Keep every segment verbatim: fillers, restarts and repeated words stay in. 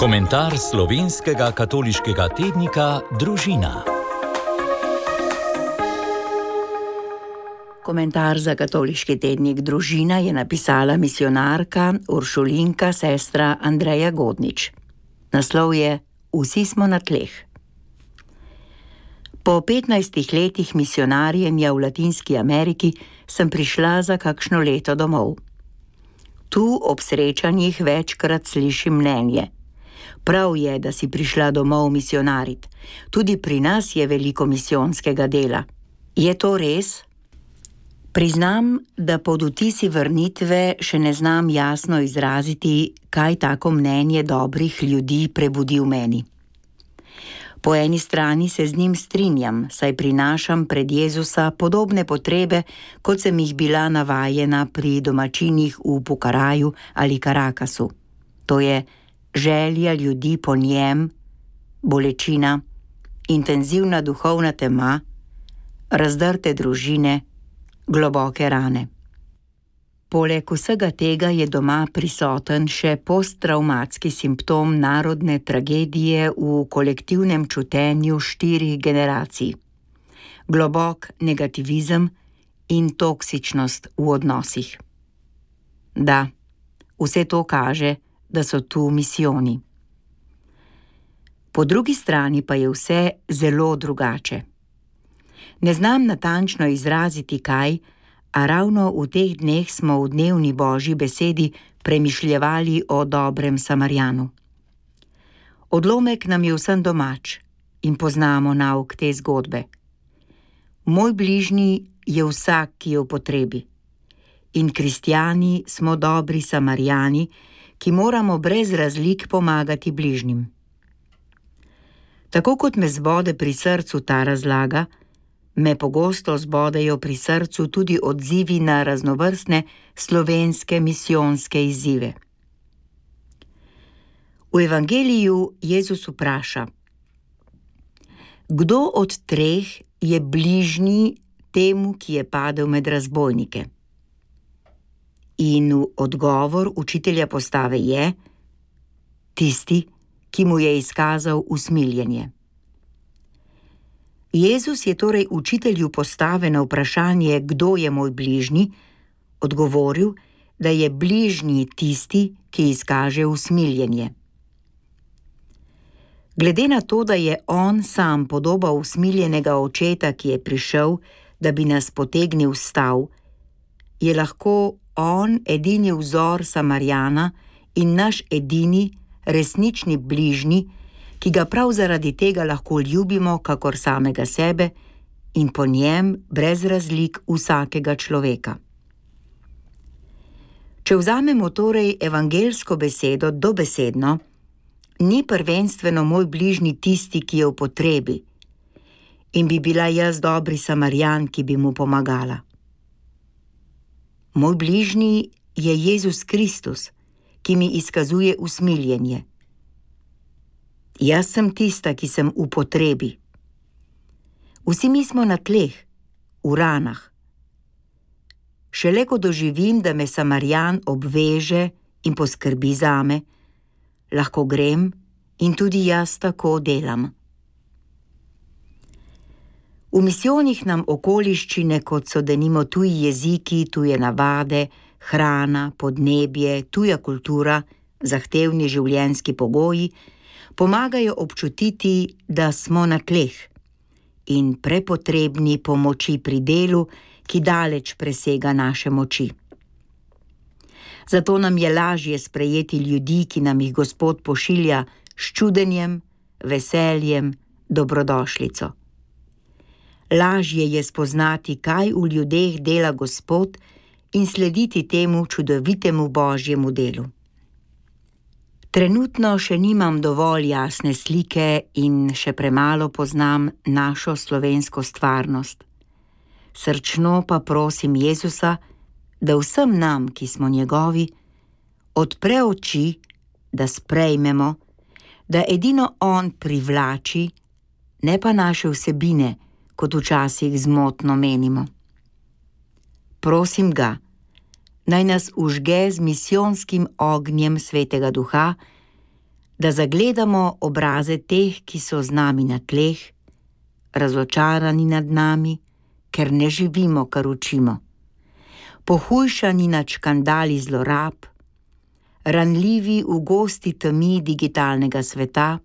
Komentar slovenskega katoliškega tednika Družina. Komentar za katoliški tednik Družina je napisala misijonarka, uršulinka, sestra Andreja Godnič. Naslov je Vsi smo na tleh. Po petnajstih letih misijonarjenja v Latinski Ameriki sem prišla za kakšno leto domov. Tu ob srečanjih večkrat slišim mnenje. Prav je, da si prišla domov misijonarit. Tudi pri nas je veliko misijonskega dela. Je to res? Priznam, da pod vtisi vrnitve še ne znam jasno izraziti, kaj tako mnenje dobrih ljudi prebudi v meni. Po eni strani se z njim strinjam, saj prinašam pred Jezusa podobne potrebe, kot sem jih bila navajena pri domačinih v Pukaraju ali Karakasu. To je želja ljudi po njem, bolečina, intenzivna duhovna tema, razdrte družine, globoke rane. Poleg vsega tega je doma prisoten še posttravmatski simptom narodne tragedije v kolektivnem čutenju štirih generacij. Globok negativizem in toksičnost v odnosih. Da, vse to kaže, da so tu misijoni. Po drugi strani pa je vse zelo drugače. Ne znam natančno izraziti kaj, a ravno v teh dneh smo v dnevni Božji besedi premišljevali o dobrem Samarjanu. Odlomek nam je vsem domač in poznamo nauk te zgodbe. Moj bližnji je vsak, ki je v potrebi. In kristjani smo dobri Samarjani, ki moramo brez razlik pomagati bližnjim. Tako kot me zbode pri srcu ta razlaga, me pogosto zbodejo pri srcu tudi odzivi na raznovrstne slovenske misijonske izzive. V evangeliju Jezus vpraša: Kdo od treh je bližnji temu, ki je padel med razbojnike? In odgovor učitelja postave je: tisti, ki mu je izkazal usmiljenje. Jezus je torej učitelju postave na vprašanje, kdo je moj bližnji, odgovoril, da je bližnji tisti, ki izkaže usmiljenje. Glede na to, da je on sam podoba usmiljenega očeta, ki je prišel, da bi nas potegnil v stav, je lahko on edini vzor Samarjana in naš edini, resnični bližnji, ki ga prav zaradi tega lahko ljubimo kakor samega sebe in po njem brez razlik vsakega človeka. Če vzamemo torej evangelsko besedo dobesedno, ni prvenstveno moj bližnji tisti, ki je v potrebi, in bi bila jaz dobri Samarjan, ki bi mu pomagala. Moj bližnji je Jezus Kristus, ki mi izkazuje usmiljenje. Jaz sem tista, ki sem v potrebi. Vsi mi smo na tleh, v ranah. Šele ko doživim, da me Samarjan obveže in poskrbi zame, lahko grem in tudi jaz tako delam. V misijonih nam okoliščine, kot so denimo tuji jeziki, tuje navade, hrana, podnebje, tuja kultura, zahtevni življenjski pogoji, pomagajo občutiti, da smo na tleh in prepotrebni pomoči pri delu, ki daleč presega naše moči. Zato nam je lažje sprejeti ljudi, ki nam jih Gospod pošilja s čudenjem, veseljem, dobrodošlico. Lažje je spoznati, kaj v ljudeh dela Gospod in slediti temu čudovitemu Božjemu delu. Trenutno še nimam dovolj jasne slike in še premalo poznam našo slovensko stvarnost. Srčno pa prosim Jezusa, da vsem nam, ki smo njegovi, odpre oči, da sprejmemo, da edino on privlači, ne pa naše vsebine, kot včasih zmotno menimo. Prosim ga, naj nas užge z misijonskim ognjem Svetega Duha, da zagledamo obraze teh, ki so z nami na tleh, razočarani nad nami, ker ne živimo, kar učimo, pohujšani nad škandali zlorab, ranljivi v gosti temi digitalnega sveta,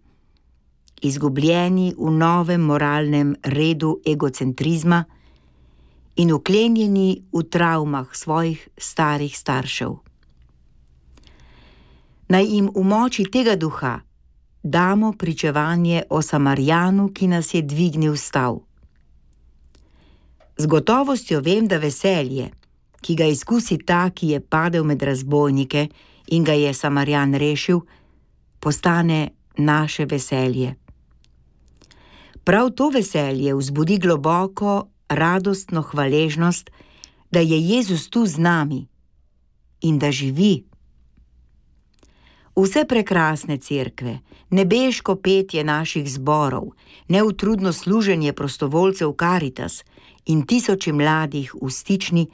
izgubljeni v novem moralnem redu egocentrizma in uklenjeni v travmah svojih starih staršev. Naj jim v moči tega duha damo pričevanje o Samarijanu, ki nas je dvignil stav. Z gotovostjo vem, da veselje, ki ga izkusi ta, ki je padel med razbojnike in ga je Samarijan rešil, postane naše veselje. Prav to veselje vzbudi globoko, radostno hvaležnost, da je Jezus tu z nami in da živi. Vse prekrasne cerkve, nebeško petje naših zborov, neutrudno služenje prostovoljcev Karitas in tisoči mladih v Stični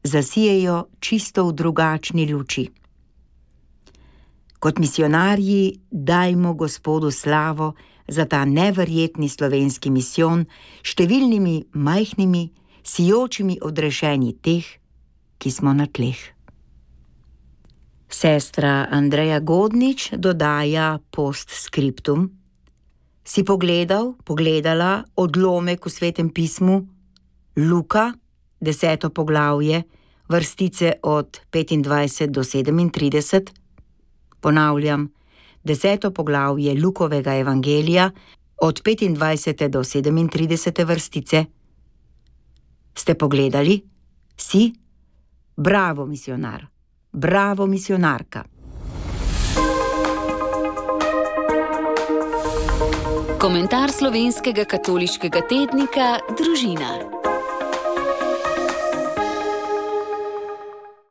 zasijejo čisto v drugačni luči. Kot misionarji dajmo Gospodu slavo za ta neverjetni slovenski misijon številnimi majhnimi, sijočimi odrešenji teh, ki smo na tleh. Sestra Andreja Godnič dodaja postskriptum. Si pogledal, pogledala odlomek v Svetem pismu Luka, deseto poglavje, vrstice od petindvajset do sedemintrideset? Ponavljam, deseto poglavje Lukovega evangelija od petindvajsete do sedemintridesete vrstice. Ste pogledali? Si? Bravo, misionar! Bravo, misionarka! Komentar slovenskega katoliškega tednika Družina.